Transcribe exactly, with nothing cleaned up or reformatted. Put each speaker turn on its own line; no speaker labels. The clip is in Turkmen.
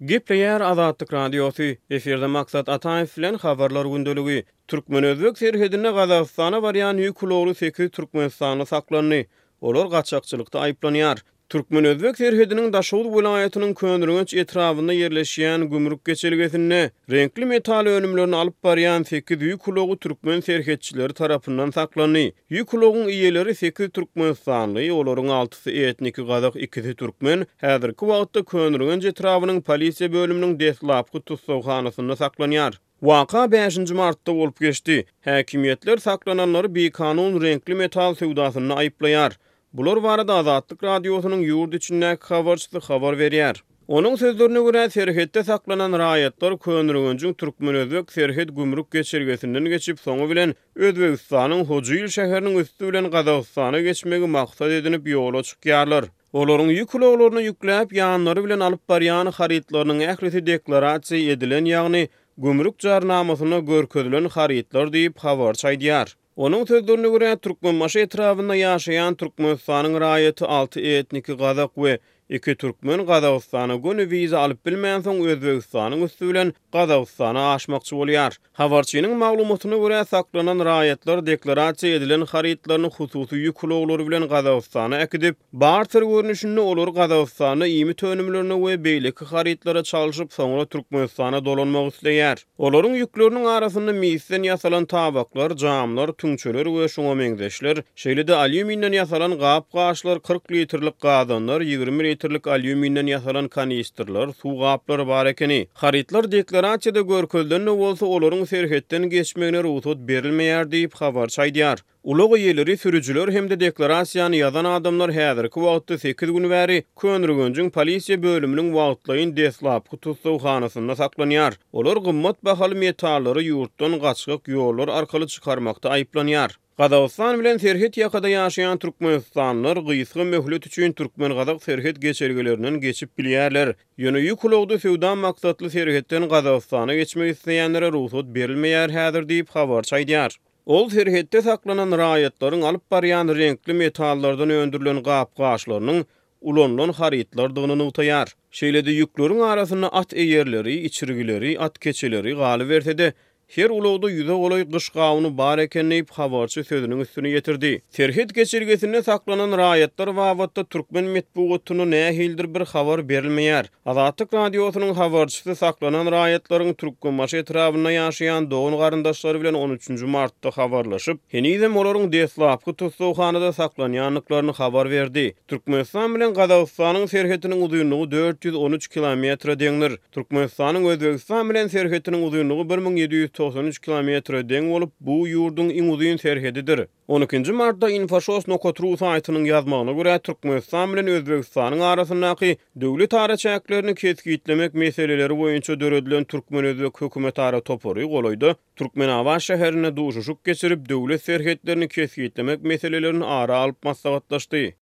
Gepleýär Azatlyk Radiosy, efirde Maksat Ataýew bilen Habarlar gündeligi. Türkmen-özbek serhedinde Gazagystana barýan ýük ulagly sekiz türkmenistanly saklandy. Olar gaçakçylykda aýyplanýar. Türkmen-özbek serhediniň Daşoguz welaýatynyň Köneürgenç etrabynda ýerleşýän gümrük geçelgesinde reňkli metal önümlerini alyp barýan sekiz ýük ulagy türkmen serhetçileri tarapyndan saklandy. Ýük ulagyň eýeleri sekiz türkmenistanly, olaryň altysy etniki gazak, ikisi türkmen, häzirki wagtda Köneürgenç etrabynyň polisiýa bölüminiň deslapky tussaghanasynda saklanýar. Waka bäşinji martda bolup geçdi. Häkimiýetler saklananlary bikanun reňkli metal söwdasynda aýyplaýar. Bular barada Azatlyk Radiosynyň ýurt içindäki habarçysy habar berýär. Onuň sözlerine görä, serhetde saklanan raýatlar Köneürgenjiň türkmen-özbek serhet gümrük geçelgesinden geçip, soňy bilen Özbegistanyň Hojail şäheriniň üsti bilen Gazagystana geçmegi maksat edinip ýola çykýarlar. Olaryň ýük ulaglaryna ýükläp, ýanlary bilen alyp barýan harytlarynyň ählisi deklarasiýa edilen, ýagny gümrük jarnamasynda görkezilen harytlar diýip, habarçy aýdýar. Onuň sözlerine görä, Türkmenbaşy etrabynda ýaşaýan Türkmenistanyň raýaty alty etniki gazak we iki türkmen Gazagystana göni wiza alyp bilmänsoň Özbegistanyň üsti bilen Gazagystana aşmakçy bolýar. Habarçynyň maglumatyna görä, saklanan raýatlar deklarasiýa edilen harytlaryny hususy ýük ulaglary bilen Gazagystana äkidip, barter görnüşinde olary Gazagystanda iýmit önümlerine we beýleki harytlara çalşyp, soňra Türkmenistana dolanmak isleýär. Olaryň ýükleriniň arasynda misden ýasalan tabaklar, jamlar, tüňçeler we şuňa meňzeşler, şeýle-de alýuminden ýasalan gap-gaçlar, kyrk litrlik gazanlar, ýigrimi litrlik alýuminden ýasalan kanistrler, suw gaplary bar ekeni. Harytlar deklarasiýada görkezilen-de bolsa, olaryň serhetden geçmegine rugsat berilmeýär diýip, habarçy aýdýar. Ulag eýeleri, sürüjiler hem-de deklarasiýany ýazan adamlar häzirki wagtda sekiz gün bäri Köneürgenjiň polisiýa bölüminiň wagtlaýyn deslapky tussaghanasynda saklanýar. Olar gymmat bahaly metallary ýurtdan gaçgak ýollar arkaly çykarmakda aýyplanýar. Gazagystan bilen serhet ýakada ýaşaýan türkmenistanlylar gysga möhlet üçin türkmen-gazak serhet geçelgelerinden geçip bilýärler. Ýöne ýük ulagda söwda maksatly serhetden Gazagystana geçmek isleýänlere rugsat berilmeýär häzir diýip, habarçy aýdýar. Ol serhetde saklanan raýatlaryň alyp barýan reňkli metallardan öndürilen gap-gaçlarynyň ulanylan harytlardygyny nygtaýar. Şeýle-de ýükleriň arasynda at eýerleri, içirgileri, at keçeleri, galyberse-de, her ulagda ýüze golaý gyş gawuny bar eken diýip, habarçy sözüniň üstüni ýetirdi. Serhet geçelgesinde saklanan raýatlar babatda türkmen metbugatynda nähilidir bir habar berilmeýär. Azatlyk Radiosynyň habarçysy saklanan raýatlaryň Türkmenbaşy etrabynda ýaşaýan dogan-garyndaşlary bilen on üçünji martda habarlaşyp, henizem olaryň deslapky tussaghanada saklanýandyklaryny habar berdi. Türkmenistan bilen Gazagystanyň serhetiniň uzynlygy dört ýüz on üç kilometre deňdir. Türkmenistanyň Özbegistan bilen serhetiniň uzynlygy bir müň ýedi ýüz togsan üç kilometre deň bolup, bu ýurduň iň uzyn serhedidir. On ikinji martda Infoşos nokat ru saýtynyň ýazmagyna görä, Türkmenistan bilen Özbegistanyň arasyndaky döwlet araçäklerini kesgitlemek meseleleri boýunça döredilen türkmen-özbek hökümetara topary golaýda Türkmenabat şäherinde duşuşyk geçirip, döwlet serhetlerini kesgitlemek meselelerini ara alyp maslahatlaşdy.